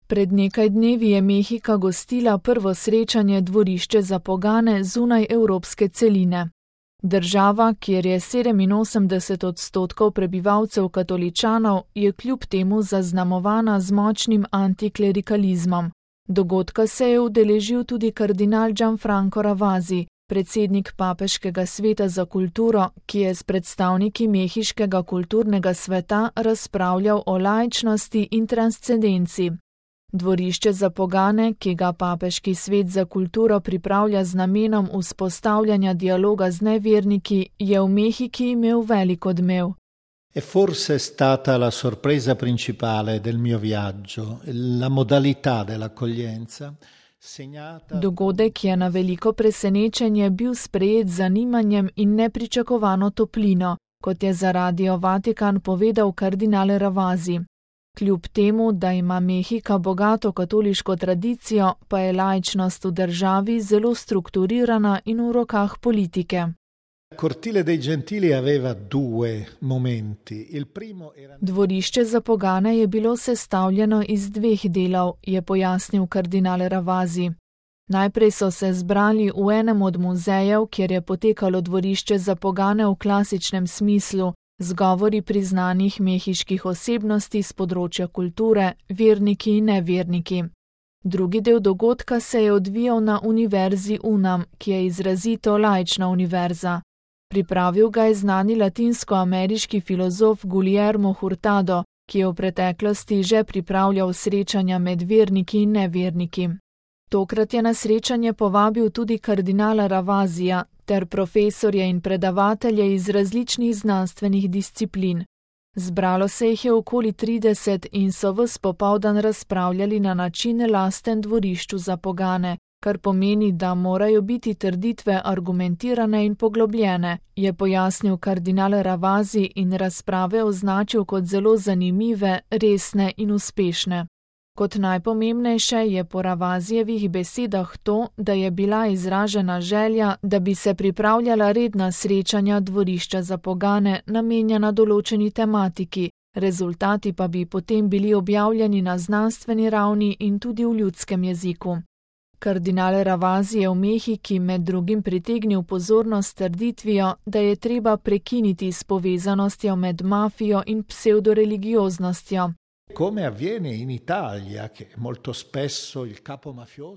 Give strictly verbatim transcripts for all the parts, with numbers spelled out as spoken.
Pred nekaj dnevi je Mehika gostila prvo srečanje Dvorišče za pogane zunaj evropske celine. Država, kjer je sedeminosemdeset odstotkov prebivalcev katoličanov, je kljub temu zaznamovana z močnim antiklerikalizmom. Dogodka se je udeležil tudi kardinal Gianfranco Ravasi, predsednik Papeškega sveta za kulturo, ki je s predstavniki mehiškega kulturnega sveta razpravljal o laičnosti in transcendenci. Dvorišče za pogane, ki ga Papeški svet za kulturo pripravlja z namenom vzpostavljanja dialoga z neverniki, je v Mehiki imel velik odmev. È forse stata la sorpresa principale del mio viaggio, la modalità dell'accoglienza. Dogodek je na veliko presenečenje bil sprejet z zanimanjem in nepričakovano toplino, kot je za Radio Vatikan povedal kardinal Ravasi. Kljub temu, da ima Mehika bogato katoliško tradicijo, pa je laičnost v državi zelo strukturirana in v rokah politike. Cortile dei Gentili aveva due momenti. Il primo era... Dvorišče za pogane je bilo sestavljeno iz dveh delov, je pojasnil kardinal Ravasi. Najprej so se zbrali v enem od muzejev, kjer je potekalo dvorišče za pogane v klasičnem smislu, z govori priznanih mehiških osebnosti z področja kulture, verniki in neverniki. Drugi del dogodka se je odvijal na Univerzi UNAM, ki je izrazito laična univerza. Pripravil ga je znani latinsko-ameriški filozof Guillermo Hurtado, ki je v preteklosti že pripravljal srečanja med verniki in neverniki. Tokrat je na srečanje povabil tudi kardinala Ravasija ter profesorje in predavatelje iz različnih znanstvenih disciplin. Zbralo se jih je okoli trideset in so ves popoldan razpravljali na način lasten dvorišču za pogane, kar pomeni, da morajo biti trditve argumentirane in poglobljene, je pojasnil kardinal Ravasi in razprave označil kot zelo zanimive, resne in uspešne. Kot najpomembnejše je po Ravasijevih besedah to, da je bila izražena želja, da bi se pripravljala redna srečanja dvorišča za pogane namenjena določeni tematiki, rezultati pa bi potem bili objavljeni na znanstveni ravni in tudi v ljudskem jeziku. Kardinal Ravasi je v Mehiki med drugim pritegnil pozornost trditvijo, da je treba prekiniti s povezanostjo med mafijo in pseudoreligioznostjo.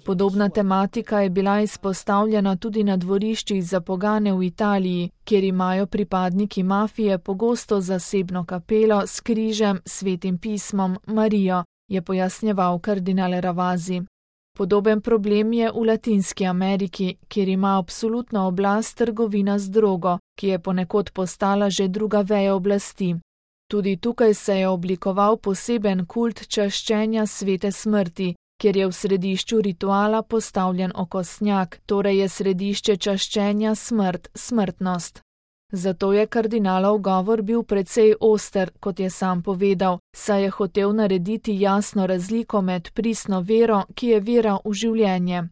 Podobna tematika je bila izpostavljena tudi na dvoriščih za pogane v Italiji, kjer imajo pripadniki mafije pogosto zasebno kapelo s križem, svetim pismom, Marijo, je pojasnjeval kardinal Ravasi. Podoben problem je v Latinski Ameriki, kjer ima absolutno oblast trgovina z drogo, ki je ponekod postala že druga veja oblasti. Tudi tukaj se je oblikoval poseben kult čaščenja svete smrti, kjer je v središču rituala postavljen okostnjak, torej je središče čaščenja smrt, smrtnost. Zato je kardinalov govor bil precej oster, kot je sam povedal, saj je hotel narediti jasno razliko med pristno vero, ki je vera v življenje.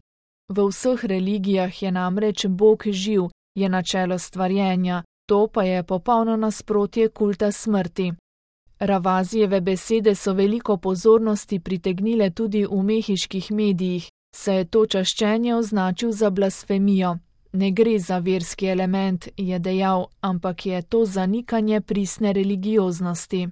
V vseh religijah je namreč Bog živ, je načelo stvarjenja, to pa je popolno nasprotje kulta smrti. Ravasijeve besede so veliko pozornosti pritegnile tudi v mehiških medijih, saj je to čaščenje označil za blasfemijo. Ne gre za verski element, je dejal, ampak je to zanikanje pristne religioznosti.